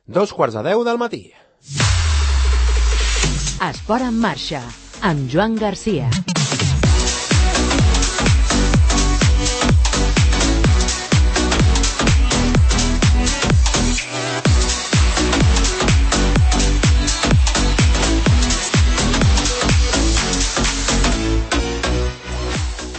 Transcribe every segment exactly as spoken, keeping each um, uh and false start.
dos quarts de deu del matí. Esport en marxa, amb Joan Garcia.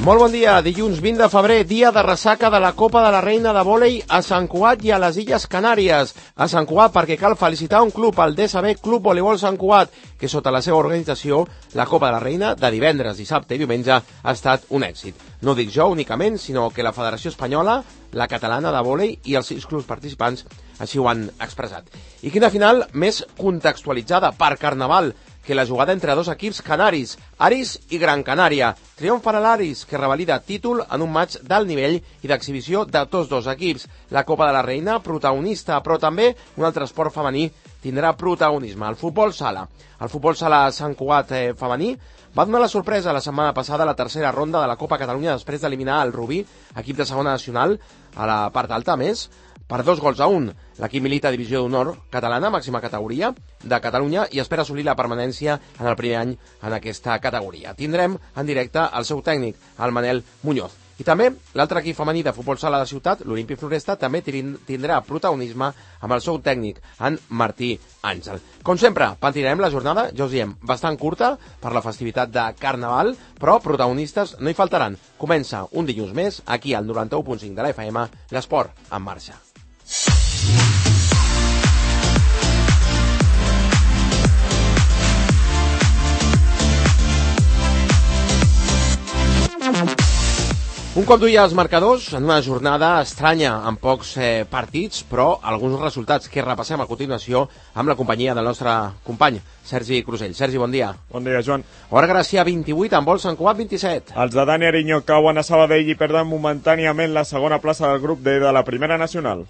Molt bon dia, dilluns vint de febrer, dia de ressaca de la Copa de la Reina de Vòlei a Sant Cugat i a les Illes Canàries. A Sant Cugat perquè cal felicitar un club, el D S B Club Voleibol Sant Cugat, que sota la seva organització, la Copa de la Reina de divendres, dissabte i diumenge ha estat un èxit. No dic jo únicament, sinó que la Federació Espanyola, la Catalana de Vòlei i els sis clubs participants així ho han expressat. I quina final més contextualitzada per Carnaval que la jugada entre dos equips canaris, Aris i Gran Canària. Triomf per a l'Aris, que revalida títol en un match d'alt nivell i d'exhibició de tots dos equips. La Copa de la Reina, protagonista, però també un altre esport femení tindrà protagonisme, el futbol sala. El futbol sala Sant Cugat eh, femení va donar la sorpresa la setmana passada a la tercera ronda de la Copa Catalunya després d'eliminar el Rubí, equip de segona nacional, a la part alta més, per dos gols a un. L'equip milita a Divisió d'Honor catalana, màxima categoria de Catalunya, i espera assolir la permanència en el primer any en aquesta categoria. Tindrem en directe el seu tècnic, el Manel Muñoz. I també l'altre equip femení de futbol sala de ciutat, l'Olímpic Floresta, també tindrà protagonisme amb el seu tècnic, en Martí Àngel. Com sempre, pentinarem la jornada, ja us diem, bastant curta per la festivitat de Carnaval, però protagonistes no hi faltaran. Comença un dilluns més, aquí al noranta-u punt cinc de la F M, l'esport en marxa. Un cop duia els marcadors en una jornada estranya amb pocs eh, partits, però alguns resultats que repassem a continuació amb la companyia del nostre company Sergi Crusell. Sergi, bon dia. Bon dia, Joan. Hora Gràcia vint-i-vuit, amb vol Sant Cugat vint-i-set. Els de Dani Ariño cauen a Sabadell i perden momentàniament la segona plaça del grup D de la Primera Nacional.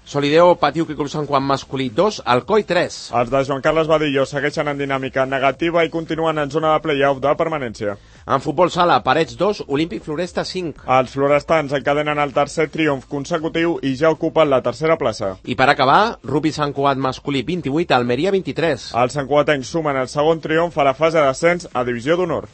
Solideo patiu que Club Sant Cugat masculí dos, Alcoi tres. Els de Joan Carles Badillo segueixen en dinàmica negativa i continuen en zona de play-off de permanència. En futbol sala, Parets dos, Olímpic Floresta cinc. Els florestans encadenen el tercer triomf consecutiu i ja ocupen la tercera plaça. I per acabar, Rugby Sant Cugat masculí vint-i-vuit, Almeria vint-i-tres. Els santcugatencs sumen el segon triomf a la fase d'ascens a Divisió d'Honor.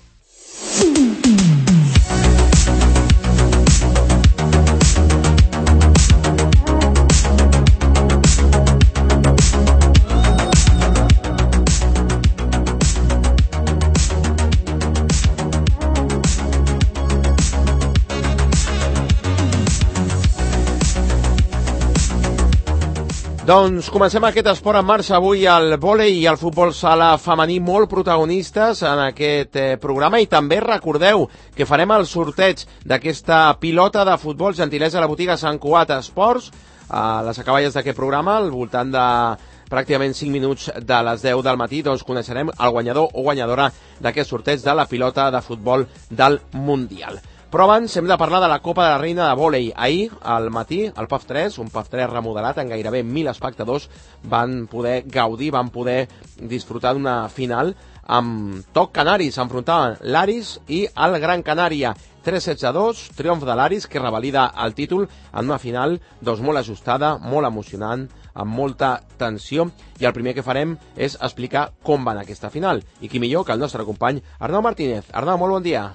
Doncs comencem aquest esport en marxa avui, el vòlei i el futbol sala femení molt protagonistes en aquest eh, programa, i també recordeu que farem el sorteig d'aquesta pilota de futbol gentilesa a la botiga Sant Cugat Esports a les acaballes d'aquest programa, al voltant de pràcticament cinc minuts de les deu del matí, doncs coneixerem el guanyador o guanyadora d'aquest sorteig de la pilota de futbol del Mundial. Però abans hem de parlar de la Copa de la Reina de Vòlei. Ahir, al matí, el P A F tres, un P A F tres remodelat amb gairebé mil espectadors, van poder gaudir, van poder disfrutar d'una final amb toc canari. S'enfrontaven l'Aris i el Gran Canària. tres sets a dos, triomf de l'Aris, que revalida el títol en una final doncs, molt ajustada, molt emocionant, amb molta tensió. I el primer que farem és explicar com va anar aquesta final. I qui millor que el nostre company Arnau Martínez. Arnau, molt bon dia.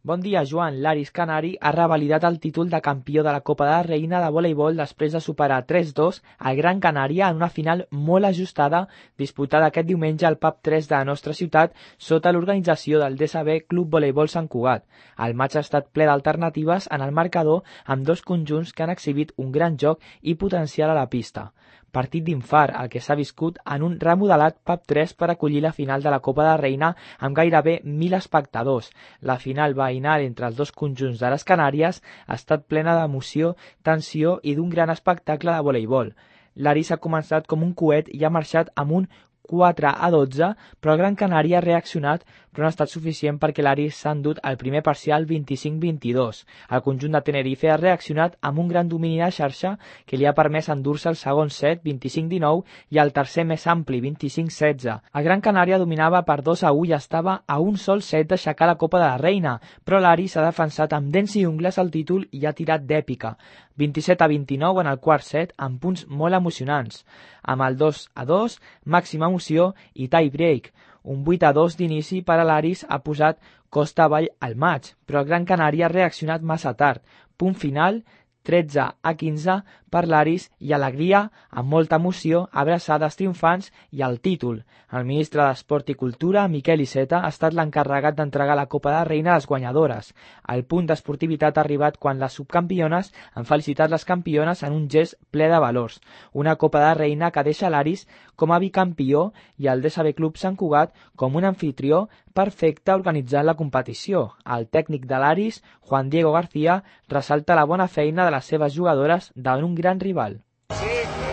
Bon dia, Joan. L'Aris Canari ha revalidat el títol de campió de la Copa de la Reina de voleibol després de superar tres dos al Gran Canària en una final molt ajustada disputada aquest diumenge al P A F tres de la nostra ciutat sota l'organització del D S B Club Voleibol Sant Cugat. El matx ha estat ple d'alternatives en el marcador amb dos conjunts que han exhibit un gran joc i potencial a la pista. Partit d'infart, el que s'ha viscut en un remodelat P A F tres per acollir la final de la Copa de la Reina amb gairebé mil espectadors. La final veïnal entre els dos conjunts de les Canàries ha estat plena d'emoció, tensió i d'un gran espectacle de voleibol. L'Aris ha començat com un coet i ha marxat amb un quatre a dotze, però el Gran Canària ha reaccionat però no ha estat suficient perquè l'Aris s'ha endut el primer parcial vint-i-cinc vint-i-dos. El conjunt de Tenerife ha reaccionat amb un gran domini de xarxa que li ha permès endur-se el segon set vint-i-cinc dinou i el tercer més ampli vint-i-cinc setze. El Gran Canària dominava per dos a u i estava a un sol set d'aixecar la Copa de la Reina, però l'Aris s'ha defensat amb dents i ungles el títol i ha tirat d'èpica. vint-i-set a vint-i-nou en el quart set amb punts molt emocionants. Amb el dos a dos, màxima emoció i tie break. Un vuit a dos d'inici per a l'Aris ha posat costa avall al maig, però el Gran Canària ha reaccionat massa tard. Punt final, tretze a quinze per l'Aris i alegria, amb molta emoció, abraçades triomfants i el títol. El ministre d'Esport i Cultura, Miquel Iceta, ha estat l'encarregat d'entregar la Copa de la Reina a les guanyadores. El punt d'esportivitat ha arribat quan les subcampiones han felicitat les campiones en un gest ple de valors. Una Copa de la Reina que deixa l'Aris com a bicampió i el D S B Club Sant Cugat com un anfitrió perfecte organitzant la competició. El tècnic de l'Aris, Juan Diego García, ressalta la bona feina de les seves jugadores davant un gran rival. Sí,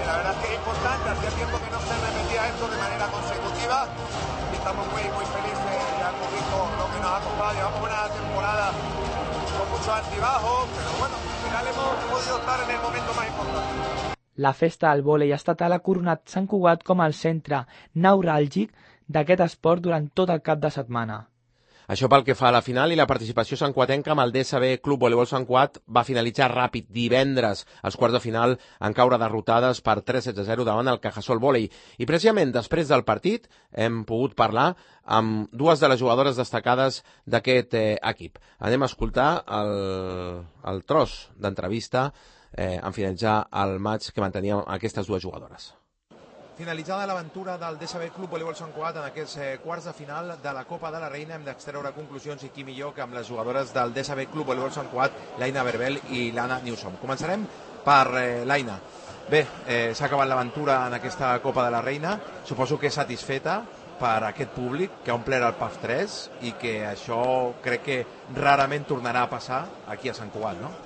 la verdad es que es importante, hacía tiempo que no se repetía esto de manera consecutiva y estamos muy, muy felices, ya hemos visto lo que nos ha costado, llevamos una temporada con muchos altibajos, pero bueno, al final hemos podido estar en el momento más importante. La festa del vòlei estatal ha coronat Sant Cugat com el centre neuràlgic d'aquest esport durant tot el cap de setmana. Això pel que fa a la final i la participació santcuatenca amb el D S B Club Voleibol Sant Cugat va finalitzar ràpid divendres. Els quarts de final en caure derrotades per tres sets a zero davant el Cajasol Vòlei. I precisament després del partit hem pogut parlar amb dues de les jugadores destacades d'aquest eh, equip. Anem a escoltar el, el tros d'entrevista eh, en finalitzar el maig que manteníem aquestes dues jugadores. Finalitzada l'aventura del D S B Club Voleibol Sant Cugat en aquests eh, quarts de final de la Copa de la Reina, hem d'extreure conclusions i qui millor que amb les jugadores del D S B Club Voleibol Sant Cugat, l'Aina Berbel i l'Anna Newsom. Començarem per eh, l'Aina. Bé, eh, s'ha acabat l'aventura en aquesta Copa de la Reina, suposo que satisfeta per aquest públic que ha omplert el P A F tres i que això crec que rarament tornarà a passar aquí a Sant Cugat, no?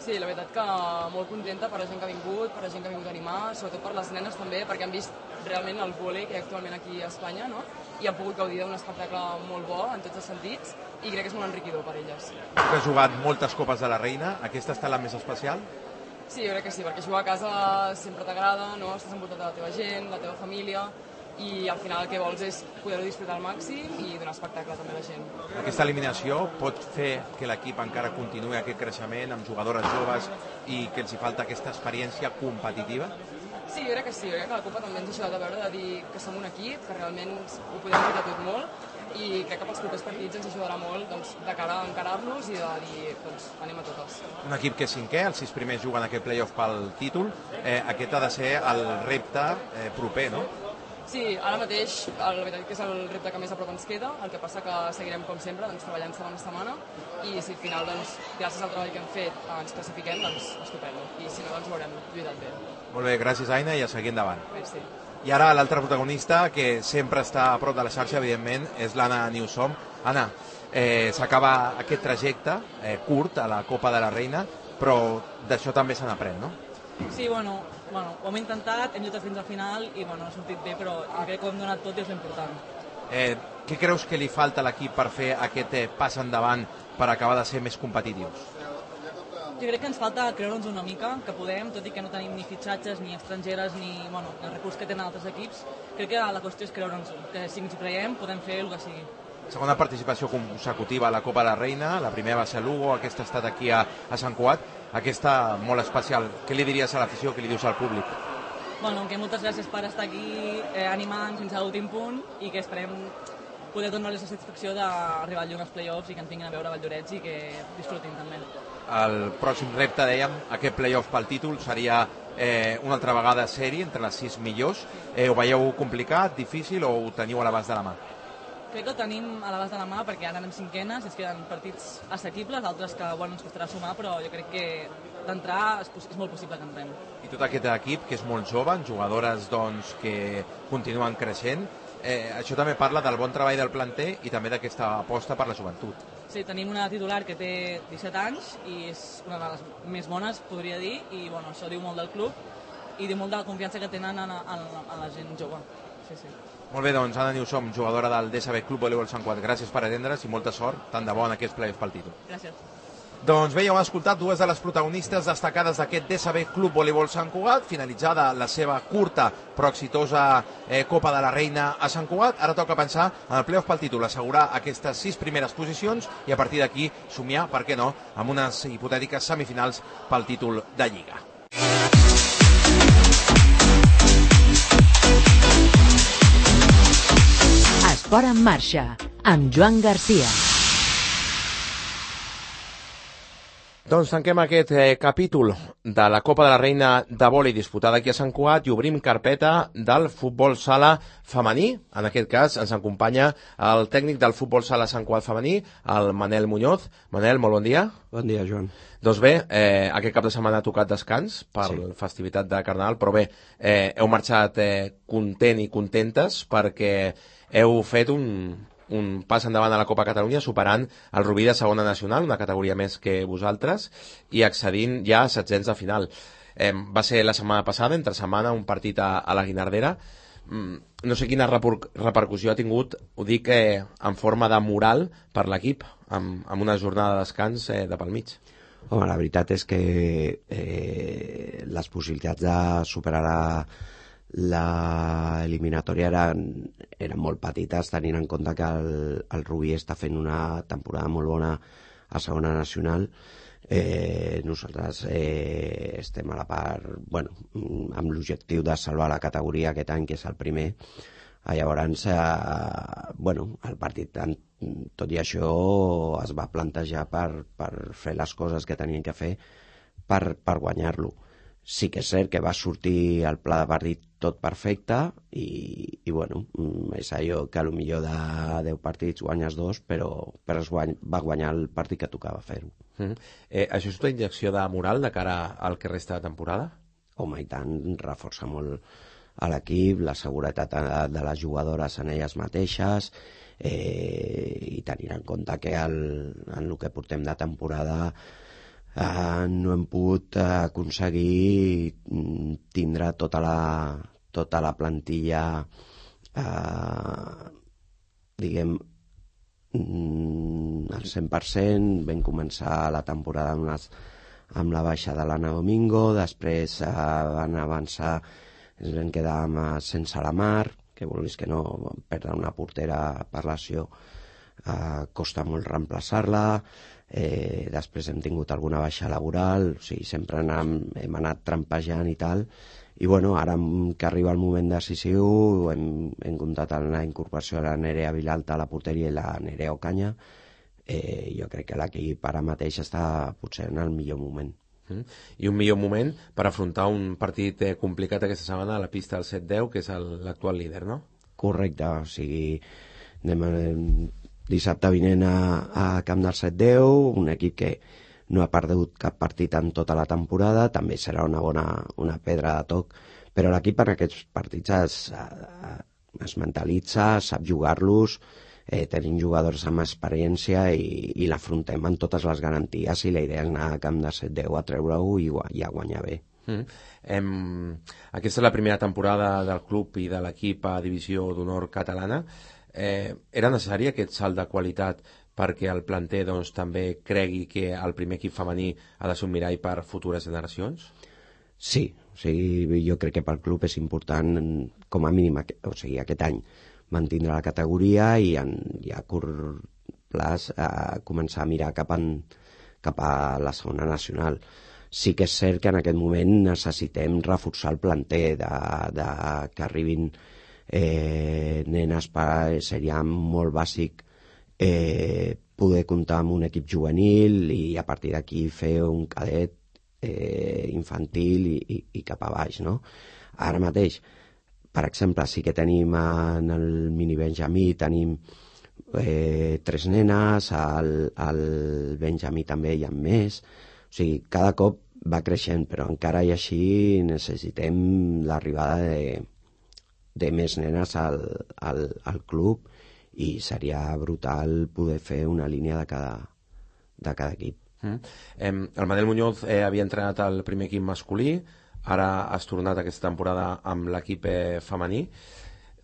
Sí, la veritat que molt contenta per la gent que ha vingut, per la gent que ha vingut a animar, sobretot per les nenes també, perquè han vist realment el vòlei que hi ha actualment aquí a Espanya, no? I han pogut gaudir d'un espectacle molt bo en tots els sentits i crec que és molt enriquidor per elles. Tu has jugat moltes Copes de la Reina, aquesta està la més especial? Sí, jo crec que sí, perquè jugar a casa sempre t'agrada, no? Estàs envoltat de la teva gent, la teva família, i al final el que vols és poder-ho disfrutar al màxim i donar espectacle també a la gent. Aquesta eliminació pot fer que l'equip encara continuï aquest creixement amb jugadores joves i que els hi falta aquesta experiència competitiva? Sí, jo crec que sí, jo crec que la Copa també ens ha ajudat a veure de dir que som un equip, que realment ho podem lluitar tot molt i crec que pels propers partits ens ajudarà molt doncs, de cara a encarar-los i de dir, doncs, anem a totes. Un equip que és cinquè, els sis primers juguen aquest play-off pel títol, eh, aquest ha de ser el repte eh, proper, no? Sí, ara mateix la veritat que és el repte que més a prop ens queda, el que passa que seguirem com sempre doncs, treballant setmana a setmana i si al final, doncs, gràcies al treball que hem fet ens classifiquem, doncs estupendo i si no, doncs ho haurem lluitat bé. Molt bé, gràcies Aina i a seguir endavant. Merci. I ara l'altre protagonista que sempre està a prop de la xarxa, evidentment, és l'Anna Newsom. Anna, eh, s'acaba aquest trajecte eh, curt a la Copa de la Reina, però d'això també se n'aprèn, no? Sí, bueno, bueno, ho hem intentat, hem lluitat fins al final i bueno, ha sortit bé, però crec que ho hem donat tot i és l'important. Eh, què creus que li falta a l'equip per fer aquest eh, pas endavant per acabar de ser més competitius? Jo crec que ens falta creure'ns una mica, que podem, tot i que no tenim ni fitxatges, ni estrangeres, ni bueno, el recurs que tenen altres equips. Crec que la qüestió és creure'ns-ho, que si ens hi creiem podem fer el que sigui. Segona participació consecutiva a la Copa de la Reina, la primera va ser a Lugo, aquesta ha estat aquí a, a Sant Cugat, aquesta molt especial. Què li diries a l'afició, què li dius al públic? Bueno, que moltes gràcies per estar aquí eh, animant fins a l'últim punt i que esperem poder donar-los la satisfacció d'arribar al llum als play-offs i que ens vinguin a veure Valldorets i que disfrutin també. El pròxim repte, dèiem, aquest play-off pel títol seria eh, una altra vegada sèrie entre les sis millors. Eh, ho veieu complicat, difícil o ho teniu a l'abast de la mà? Crec que ho tenim a l'abast de la mà perquè ara anem cinquenes i ens queden partits assequibles, altres que bueno, ens costarà sumar, però jo crec que d'entrar és, és molt possible que entrem. I tot aquest equip, que és molt jove, jugadores doncs, que continuen creixent, eh, això també parla del bon treball del planter i també d'aquesta aposta per la joventut. Sí, tenim una titular que té disset anys i és una de les més bones, podria dir, i bueno, això diu molt del club i diu molt de la confiança que tenen en, en, en la gent jove. sí, sí. Molt bé, doncs, Anna Newsom, jugadora del D S B Club Voleibol Sant Cugat. Gràcies per atendre's i molta sort, tant de bo en aquests playoffs pel títol. Gràcies. Doncs bé, ja heu escoltat dues de les protagonistes destacades d'aquest D S B Club Voleibol Sant Cugat, finalitzada la seva curta però exitosa eh, Copa de la Reina a Sant Cugat. Ara toca pensar en el playoff pel títol, assegurar aquestes sis primeres posicions i a partir d'aquí somiar, per què no, amb unes hipotètiques semifinals pel títol de Lliga. Esport en marxa, amb Joan Garcia. Doncs tanquem aquest eh, capítol de la Copa de la Reina de vòlei disputada aquí a Sant Cugat i obrim carpeta del futbol sala femení. En aquest cas ens acompanya el tècnic del futbol sala Sant Cugat femení, el Manel Muñoz. Manel, molt bon dia. Bon dia, Joan. Doncs bé, eh, aquest cap de setmana ha tocat descans per sí. la festivitat de Carnaval, però bé, eh, heu marxat eh, content i contentes perquè heu fet un... un pas endavant a la Copa Catalunya, superant el Rubí de segona nacional, una categoria més que vosaltres, i accedint ja a setzents de final. Eh, va ser la setmana passada, entre setmana, un partit a, a la Guinardera. Mm, no sé quina repercussió ha tingut, ho dic eh, en forma de moral per l'equip, amb, amb una jornada de descans eh, de pel mig. Home, la veritat és que eh, les possibilitats de superar la la eliminatòria eren, eren molt petites, tenint en compte que el, el Rubí està fent una temporada molt bona a segona nacional. Eh, nosaltres eh, estem a la part, bueno, amb l'objectiu de salvar la categoria aquest any, que és el primer. Llavors, eh, bueno, el partit, tot i això, es va plantejar per, per fer les coses que tenien que fer per, per guanyar-lo. Sí que és cert que va sortir el pla de partit tot perfecte i, i bueno, és allò que potser de deu partits guanyes dos, però, però es guany, va guanyar el partit que tocava fer-ho. Mm-hmm. eh, això és una injecció de moral de cara al que resta de temporada? Home, i tant, reforça molt a l'equip, la seguretat de, de les jugadores en elles mateixes, eh, i tenint en compte que el, en el que portem de temporada Uh, no hem pogut uh, aconseguir tindre tota la, tota la plantilla uh, diguem al cent per cent. Vam començar la temporada amb, les, amb la baixa de l'Anna Domingo, després uh, van avançar, ens vam quedar amb, uh, sense la Mar, que vulguis que no, perdre una portera per lesió uh, costa molt reemplaçar-la. Eh, després hem tingut alguna baixa laboral, o sigui, sempre hem, hem anat trampejant i tal, i bueno, ara que arriba el moment decisiu hem, hem comptat en la incorporació de la Nerea Vilalta a la porteria i la Nerea Ocaña. eh, jo crec que l'equip ara mateix està potser en el millor moment. Mm. I un millor moment per afrontar un partit eh, complicat aquesta setmana a la pista del set deu, que és l'actual líder, no? Correcte, o sigui, anem a dissabte vinent a, a Camp del set deu, un equip que no ha perdut cap partit en tota la temporada, també serà una bona una pedra de toc, però l'equip en aquests partits es, es mentalitza, sap jugar-los, eh, tenim jugadors amb experiència i, i l'afrontem amb totes les garanties i la idea és anar a Camp del set deu a treure-ho i, i a guanyar bé. Mm. Em, aquesta és la primera temporada del club i de l'equip a Divisió d'Honor catalana. Eh, era necessari aquest salt de qualitat perquè el planter doncs, també cregui que el primer equip femení ha de ser un mirall per futures generacions? Sí, o sigui, jo crec que pel club és important, com a mínim, o sigui, aquest any mantindre la categoria i, en, i a curt plaç a començar a mirar cap, en, cap a la segona nacional. Sí que és cert que en aquest moment necessitem reforçar el planter de, de que arribin Eh, nenes, per, seria molt bàsic eh, poder comptar amb un equip juvenil i a partir d'aquí fer un cadet eh, infantil i, i, i cap a baix, no? Ara mateix, per exemple, sí que tenim en el mini Benjamí tenim eh, tres nenes, al, al Benjamí també hi ha més, o sigui, cada cop va creixent, però encara i així necessitem l'arribada de de més nenes al, al, al club i seria brutal poder fer una línia de cada, de cada equip. Mm. Eh, el Manel Muñoz eh, havia entrenat el primer equip masculí, ara has tornat aquesta temporada amb l'equip eh, femení.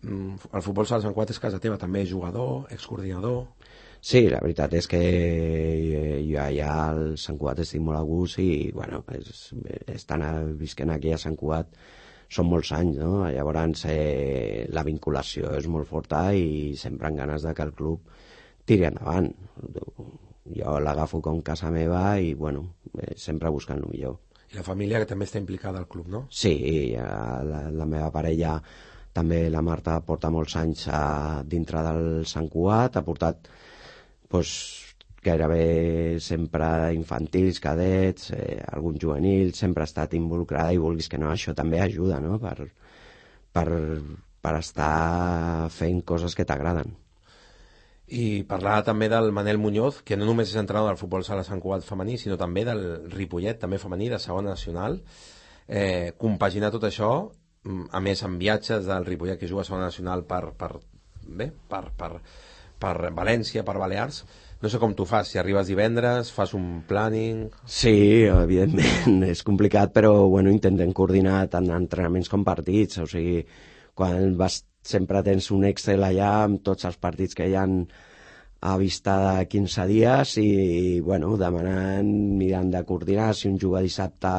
el futbol sala Sant Cugat és casa teva, també jugador, excoordinador... Sí, la veritat és que jo allà al Sant Cugat estic molt a gust i, bueno, és, estan visquent aquí a Sant Cugat són molts anys, no? Llavors eh, la vinculació és molt forta i sempre amb ganes de que el club tiri endavant. Jo l'agafo com casa meva i, bueno, eh, sempre buscant el millor. I la família que també està implicada al club, no? Sí, la, la meva parella, també la Marta, porta molts anys a, dintre del Sant Cugat, ha portat pues, gairebé sempre infantils, cadets, eh, algun juvenil, sempre ha estat involucrada i vulguis que no, això també ajuda, no?, per, per, per estar fent coses que t'agraden. I parlar també del Manel Muñoz, que no només és entrenador del futbol sala Sant Cugat femení, sinó també del Ripollet, també femení, de segona nacional. Eh, compaginar tot això, a més amb viatges del Ripollet que juga a segona nacional per, per, bé, per, per, per València, per Balears. No sé com tu fas, si arribes divendres, fas un planning... Sí, evidentment, és complicat, però bueno, intentem coordinar tant entrenaments com partits, o sigui, quan vas, sempre tens un Excel allà amb tots els partits que hi ha a vista de quinze dies i, bueno, demanant, mirant de coordinar, si un juga dissabte,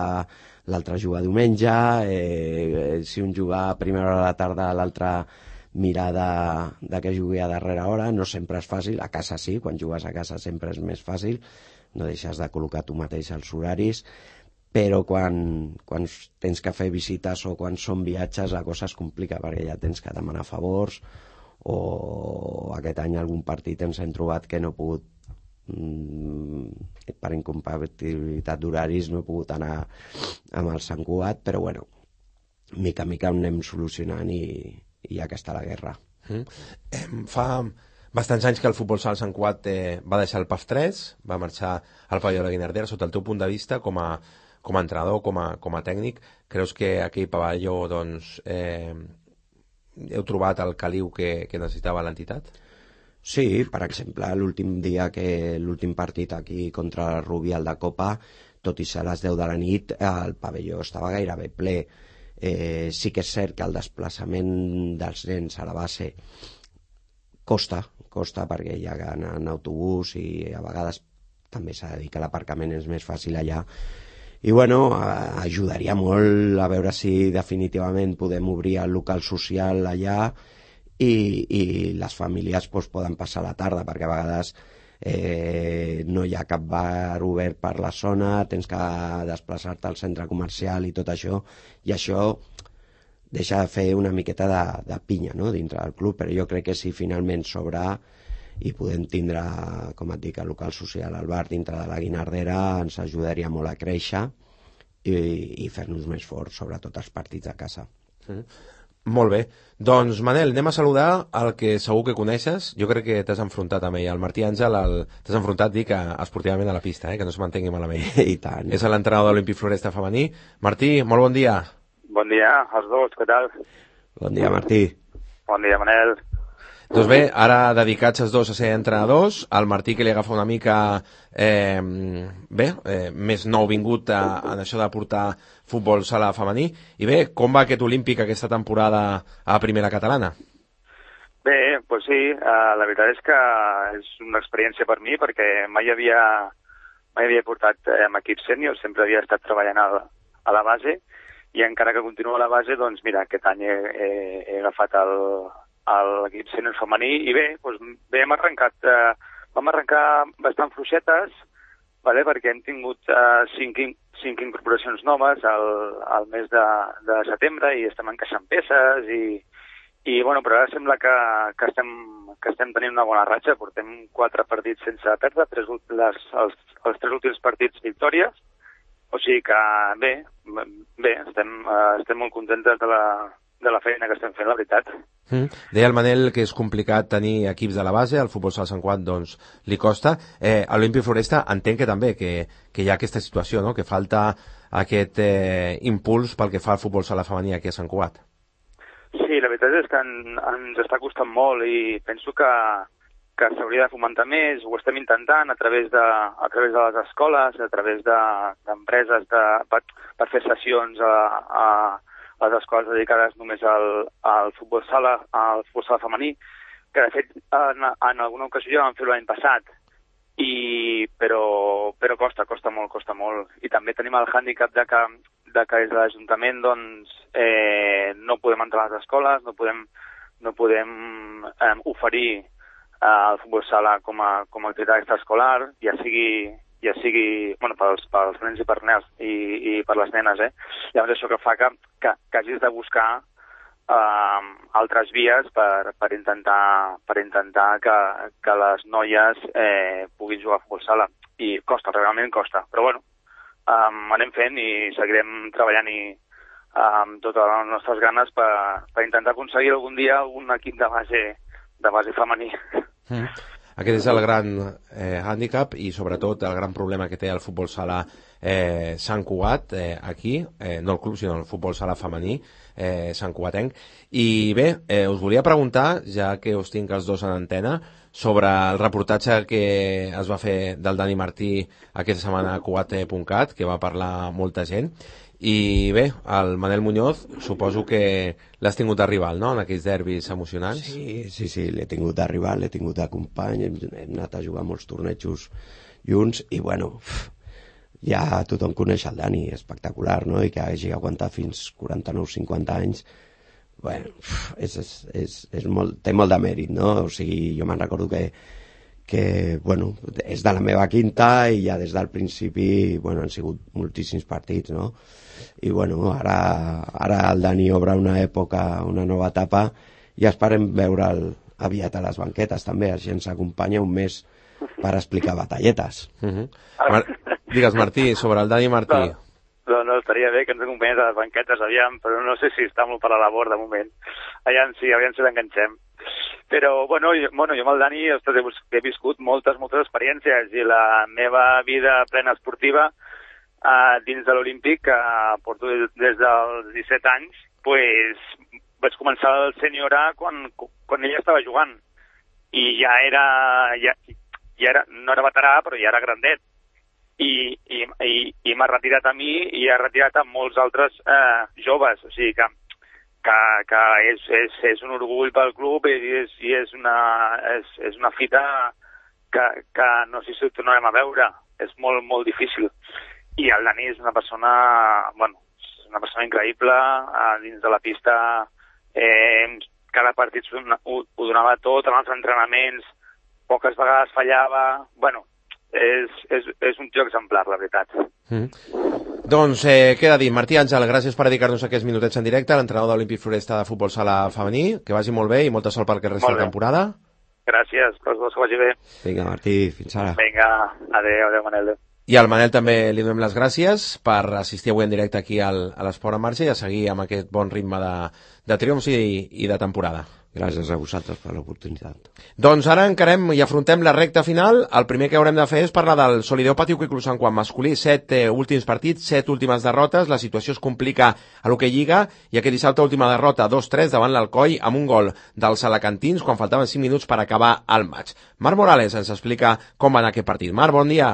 l'altre juga diumenge, eh, si un juga a primera hora de la tarda, l'altre mirar de, de que jugui a darrera hora. No sempre és fàcil, a casa sí, quan jugues a casa sempre és més fàcil, no deixes de col·locar tu mateix els horaris, però quan, quan tens que fer visites o quan són viatges la cosa es complica perquè ja tens que demanar favors, o aquest any algun partit ens hem trobat que no he pogut, mm, per incompatibilitat d'horaris, no he pogut anar amb el Sant Cugat, però bueno, mica en mica ho anem solucionant i i ja que està la guerra. Mm. Eh, fa bastants anys que el futbol sala Sant Cugat eh, va deixar el P A F tres, va marxar al pavelló de la Guinardera. Sota el teu punt de vista, com a, com a entrenador, com a, com a tècnic, creus que aquell pavelló doncs, eh, heu trobat el caliu que, que necessitava l'entitat? Sí, per exemple, l'últim dia que l'últim partit aquí contra el Rubial de Copa, tot i ser a les deu de la nit, el pavelló estava gairebé ple. Eh, sí que és cert que el desplaçament dels nens a la base costa, costa perquè hi ha anar en autobús i a vegades també s'ha de dir que l'aparcament és més fàcil allà i bueno, ajudaria molt a veure si definitivament podem obrir el local social allà i, i les famílies pues, poden passar la tarda perquè a vegades Eh, no hi ha cap bar obert per la zona, tens que desplaçar-te al centre comercial i tot això, i això deixa de fer una miqueta de, de pinya, no?, dintre del club, però jo crec que si finalment s'obre i podem tindre, com et dic, el local social al bar dintre de la Guinardera, ens ajudaria molt a créixer i, i fer-nos més forts, sobretot els partits a casa. Mm. Molt bé. Doncs, Manel, anem a saludar el que segur que coneixes. Jo crec que t'has enfrontat amb ell. El Martí Àngel, el... t'has enfrontat, dic, esportivament a la pista, eh? Que no se mantengui malament. I tant. És l'entrenador de l'Olímpic Floresta femení. Martí, molt bon dia. Bon dia, els dos, què tal? Bon dia, Martí. Bon dia, Manel. Doncs bé, ara dedicats els dos a ser entrenadors, el Martí que li agafa una mica eh, bé, eh, més nou vingut a, en això de portar futbol sala femení. I bé, com va aquest Olímpic aquesta temporada a primera catalana? Bé, doncs sí, uh, la veritat és que és una experiència per mi perquè mai havia, mai havia portat eh, amb equip sènior, sempre havia estat treballant a, a la base i encara que continuo a la base, doncs mira, aquest any he, he, he agafat el... a l'equip sènior femení i bé, doncs bé hem arrencat, eh, vam arrencar bastant fluixetes, vale, perquè hem tingut eh, cinc, cinc incorporacions noves al, al mes de, de setembre i estem encaixant peces i, i bueno, però ara sembla que, que, estem, que estem tenint una bona ratxa, portem quatre partits sense perdre, tres, les, els, els tres últims partits victòries, o sigui que bé, bé estem, eh, estem molt contentes de la de la feina que estem fent, la veritat. Mm. Deia el Manel que és complicat tenir equips de la base, el futbol sala Sant Cugat doncs li costa. Eh, a l'Olímpic Floresta entenc que també que, que hi ha aquesta situació, no?, que falta aquest eh, impuls pel que fa al futbol sala femení aquí a Sant Cugat. Sí, la veritat és que en, ens està costant molt i penso que, que s'hauria de fomentar més, ho estem intentant a través de, a través de les escoles, a través d'empreses de, de, per, per fer sessions a, a les escoles dedicades només al, al futbol sala, al futbol sala femení, que de fet en, en alguna ocasió ja vam fer l'any passat, i, però, però costa, costa molt, costa molt. I també tenim el hàndicap de que, de que des de l'Ajuntament doncs, eh, no podem entrar a les escoles, no podem, no podem eh, oferir eh, el futbol sala com a, com a activitat extraescolar, ja sigui ja sigui, bueno, pels, pels nens i per nens i, i per les nenes, eh? Llavors això que fa que, que, que hagis de buscar eh, altres vies per, per intentar, per intentar que, que les noies eh, puguin jugar a futbol sala. I costa, realment costa. Però bueno, um, anem fent i seguirem treballant i amb totes les nostres ganes per, per intentar aconseguir algun dia un equip de base, de base femení. Mm. Aquest és el gran eh, hàndicap i sobretot el gran problema que té el futbol sala eh, Sant Cugat eh, aquí, eh, no el club sinó el futbol sala femení eh, Sant Cugatenc. I bé, eh, us volia preguntar, ja que us tinc els dos en antena, sobre el reportatge que es va fer del Dani Martí aquesta setmana a cugat punt cat, que va parlar molta gent. I bé, el Manel Muñoz suposo que l'has tingut de rival, no?, en aquells derbis emocionants. Sí, sí, sí, l'he tingut de rival, l'he tingut de company, hem, hem anat a jugar molts tornejos junts i bueno, ja tothom coneix el Dani, espectacular, no?, i que hagi aguantat fins quaranta-nou cinquanta anys, bueno, és, és, és, és molt, té molt de mèrit, no? O sigui, jo me'n recordo que que, bueno, és de la meva quinta i ja des del principi, bueno, han sigut moltíssims partits, no? I, bueno, ara, ara el Dani obre una època, una nova etapa i esperem veure'l aviat a les banquetes, també. Així ens acompanya un mes per explicar batalletes. Uh-huh. Mar Digues, Martí, sobre el Dani Martí. No, no, no, estaria bé que ens acompanyés a les banquetes, aviam, però no sé si està molt per a la labor de moment. Aviam si, aviam si l'enganxem. Però, bueno, jo, bueno, jo amb el Dani ostres, he, he viscut moltes, moltes experiències i la meva vida plena esportiva eh, dins de l'Olímpic, que porto des dels disset anys, pues, vaig començar el sènior A quan, quan ella estava jugant. I ja era, ja, ja era, no era veterà, però ja era grandet. I, i, i, i m'ha retirat a mi i ha retirat a molts altres eh, joves. O sigui que que, que és, és, és un orgull pel club i és, i és, una, és, és una fita que, que no sé si ho tornarem a veure. És molt, molt difícil. I el Dani és una persona, bueno, és una persona increïble, eh, dins de la pista, eh, cada partit ho, ho donava tot, en els entrenaments, poques vegades fallava, bueno, és, és, és un tio exemplar, la veritat. Mm. Doncs eh, queda dit, Martí Àngel, gràcies per dedicar-nos aquests minutets en directe, l'entrenador de l'Olímpic Floresta de futbol sala femení, que vagi molt bé i molta sort pel que resta de la temporada. Gràcies, tots dos, que vagi bé. Vinga, Martí, fins ara. Vinga, adéu, adéu, Manel. I al Manel també li donem les gràcies per assistir avui en directe aquí al, a l'Esport en Marxa i a seguir amb aquest bon ritme de, de triomfs i, i de temporada. Gràcies a vosaltres per l'oportunitat. Doncs ara encarem i afrontem la recta final. El primer que haurem de fer és parlar del Solideo Patio Club Sant Juan masculí. Set eh, últims partits, set últimes derrotes. La situació es complica a lo que lliga i aquest dissabte última derrota dos tres davant l'Alcoi amb un gol dels alacantins quan faltaven cinc minuts per acabar el maig. Marc Morales ens explica com va anar aquest partit. Marc, bon dia.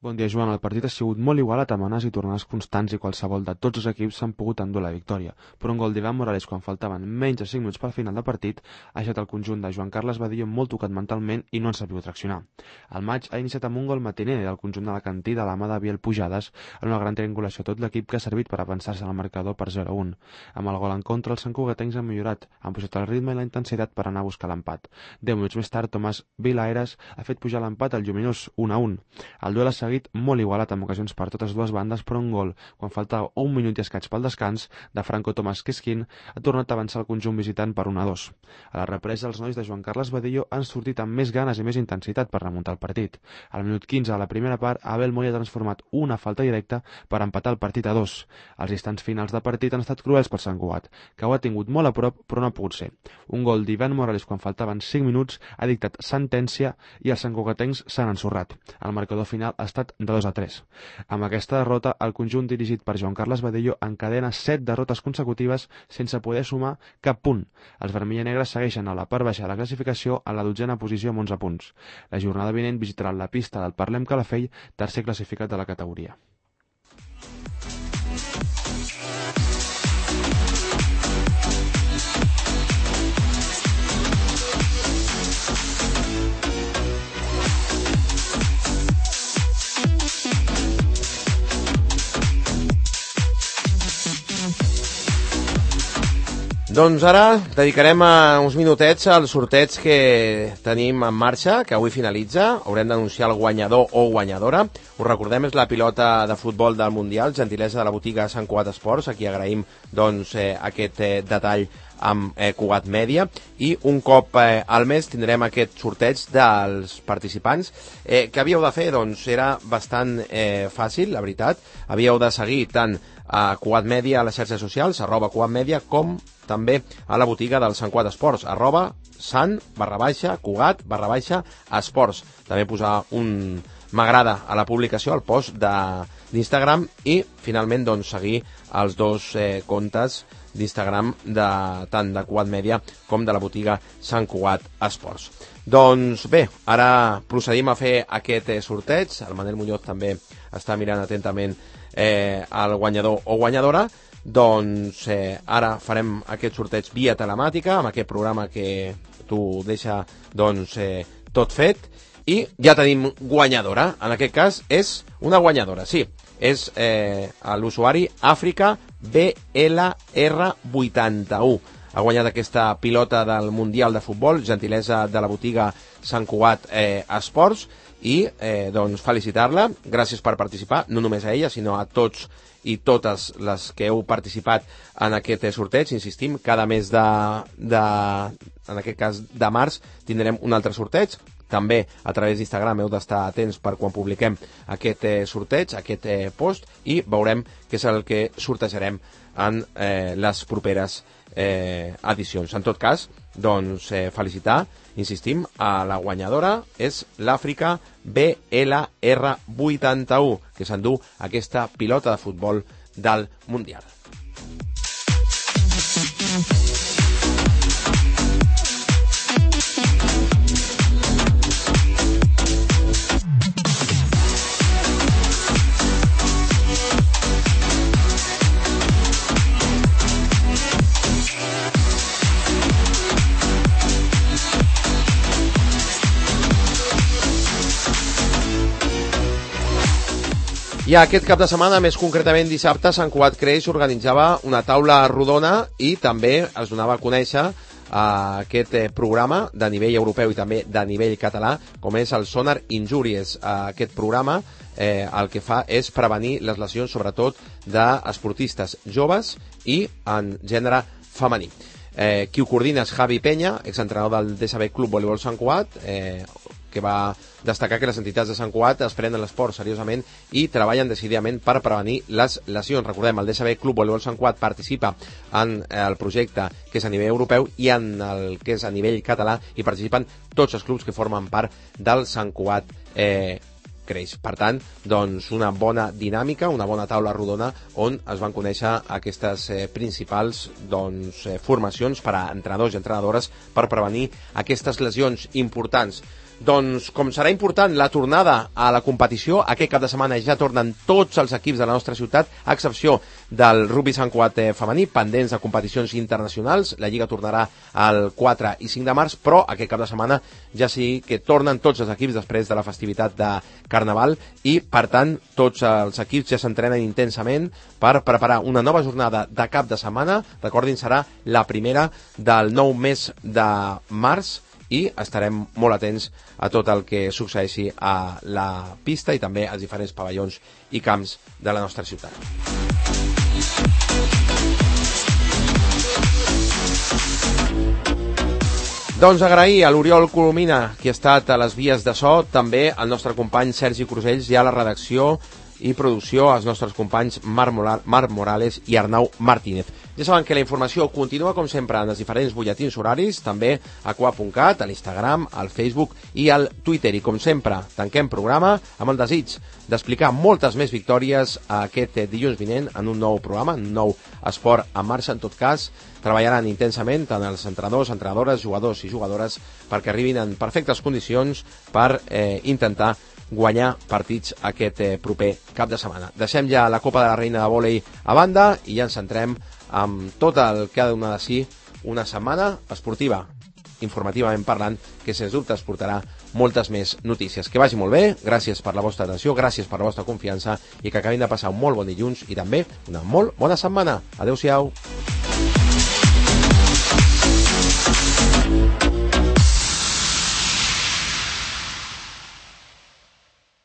Bon dia, Joan. El partit ha sigut molt igualat amb amenes i tornades constants i qualsevol de tots els equips s'han pogut endur la victòria. Però un gol d'Ivan Morales quan faltaven menys de cinc minuts per final de partit ha deixat el conjunt de Joan Carles Badillo molt tocat mentalment i no han sabut traccionar. El maig ha iniciat amb un gol matiner del conjunt de la Cantí de la mà de Biel Pujades en una gran triangulació a tot l'equip que ha servit per avançar-se al marcador per zero a un. Amb el gol en contra, els santcugatencs han millorat, han pujat el ritme i la intensitat per anar a buscar l'empat. Deu minuts més tard, Tomàs Vilaeres ha fet pujar l'empat al lluminós un a un. El duel ha seguit molt igualat amb ocasions per totes dues bandes, però un gol, quan faltava un minut i escaig pel descans, de Franco Tomàs Quisquín, ha tornat a avançar el conjunt visitant per un a dos. A la represa, els nois de Joan Carles Badillo han sortit amb més ganes i més intensitat per remuntar el partit. Al minut quinze, a la primera part, Abel Moya ha transformat una falta directa per empatar el partit a dos. Els instants finals de partit han estat cruels per Sant Cugat, que ho ha tingut molt a prop, però no ha pogut ser. Un gol d'Ivan Morales quan faltaven cinc minuts ha dictat sentència i els santcugatencs s'han ensorrat. El marcador final ha estat de dos a tres. Amb aquesta derrota, el conjunt dirigit per Joan Carles Badillo encadena set derrotes consecutives sense poder sumar cap punt. Els vermell i negres segueixen a la part baixa de la classificació a la dotzena posició amb onze punts. La jornada vinent visitaran la pista del Parlem Calafell, tercer classificat de la categoria. Doncs ara dedicarem uns minutets als sorteig que tenim en marxa, que avui finalitza. Haurem d'anunciar el guanyador o guanyadora. Us recordem, és la pilota de futbol del Mundial, gentilesa de la botiga Sant Cugat Esports. Aquí agraïm doncs, eh, aquest eh, detall amb eh, Cugat Mèdia, i un cop eh, al mes tindrem aquest sorteig dels participants. Eh, què havíeu de fer? Doncs era bastant eh, fàcil, la veritat. Havíeu de seguir tant a Cugat Mèdia a les xarxes socials, arroba Cugat Mèdia, com també a la botiga del Sant Cugat Esports, arroba sant barra baixa Cugat barra baixa esports. També posar un m'agrada a la publicació, al post d'Instagram, i finalment doncs, seguir els dos eh, comptes d'Instagram de, tant de Cugat Mèdia com de la botiga Sant Cugat Esports. Doncs bé, ara procedim a fer aquest eh, sorteig. El Manel Muñoz també està mirant atentament eh, el guanyador o guanyadora. Doncs eh, ara farem aquest sorteig via telemàtica, amb aquest programa que t'ho deixa doncs, eh, tot fet, i ja tenim guanyadora. En aquest cas és una guanyadora, sí, és eh, l'usuari Àfrica B L R vuitanta-u. Ha guanyat aquesta pilota del Mundial de Futbol, gentilesa de la botiga Sant Cugat eh, Esports, i eh, doncs felicitar-la. Gràcies per participar, no només a ella, sinó a tots i totes les que heu participat en aquest sorteig. Insistim, cada mes de, de en aquest cas de març tindrem un altre sorteig. També a través d'Instagram heu d'estar atents per quan publiquem aquest eh, sorteig, aquest eh, post, i veurem què és el que sortejarem en eh, les properes eh, edicions. En tot cas, doncs eh, felicitar, insistim, a la guanyadora, és l'Àfrica B L R vuitanta-u, que s'endú aquesta pilota de futbol del Mundial. I aquest cap de setmana, més concretament dissabte, Sant Cugat Creix organitzava una taula rodona i també es donava a conèixer eh, aquest eh, programa de nivell europeu i també de nivell català, com és el Sonar Injuries. Eh, aquest programa eh, el que fa és prevenir les lesions, sobretot d'esportistes joves i en gènere femení. Eh, qui ho coordina és Javi Peña, exentrenador del D S B Club Voleibol Sant Cugat, eh, que va destacar que les entitats de Sant Cugat es prenen l'esport seriosament i treballen decididament per prevenir les lesions. Recordem, el D S B Club Voleibol Sant Cugat participa en el projecte que és a nivell europeu i en el que és a nivell català, i participen tots els clubs que formen part del Sant Cugat eh, Creix. Per tant, doncs, una bona dinàmica, una bona taula rodona on es van conèixer aquestes eh, principals doncs, eh, formacions per a entrenadors i entrenadores per prevenir aquestes lesions importants. Doncs, com serà important la tornada a la competició, aquest cap de setmana ja tornen tots els equips de la nostra ciutat, a excepció del rugby Sant Cugat femení, pendents de competicions internacionals. La Lliga tornarà el quatre i cinc de març, però aquest cap de setmana ja sí que tornen tots els equips després de la festivitat de Carnaval, i, per tant, tots els equips ja s'entrenen intensament per preparar una nova jornada de cap de setmana. Recordin, serà la primera del nou mes de març, i estarem molt atents a tot el que succeeixi a la pista i també als diferents pavellons i camps de la nostra ciutat. Doncs agrair a l'Oriol Colomina, qui ha estat a les vies de so, també al nostre company Sergi Crusells i a la redacció i producció, als nostres companys Marc Morales i Arnau Martínez. Ja saben que la informació continua, com sempre, en els diferents butlletins horaris, també a cugat punt cat, a l'Instagram, al Facebook i al Twitter. I, com sempre, tanquem programa amb el desig d'explicar moltes més victòries aquest dilluns vinent en un nou programa, un nou esport en marxa. En tot cas, treballaran intensament tant els entrenadors, entrenadores, jugadors i jugadores perquè arribin en perfectes condicions per eh, intentar guanyar partits aquest eh, proper cap de setmana. Deixem ja la Copa de la Reina de vòlei a banda i ja ens centrem amb tot el que ha de donar de si una setmana esportiva, informativament parlant, que sens dubte es portarà moltes més notícies. Que vagi molt bé, gràcies per la vostra atenció, gràcies per la vostra confiança i que acabin de passar un molt bon dilluns i també una molt bona setmana. Adéu-siau. Thank you.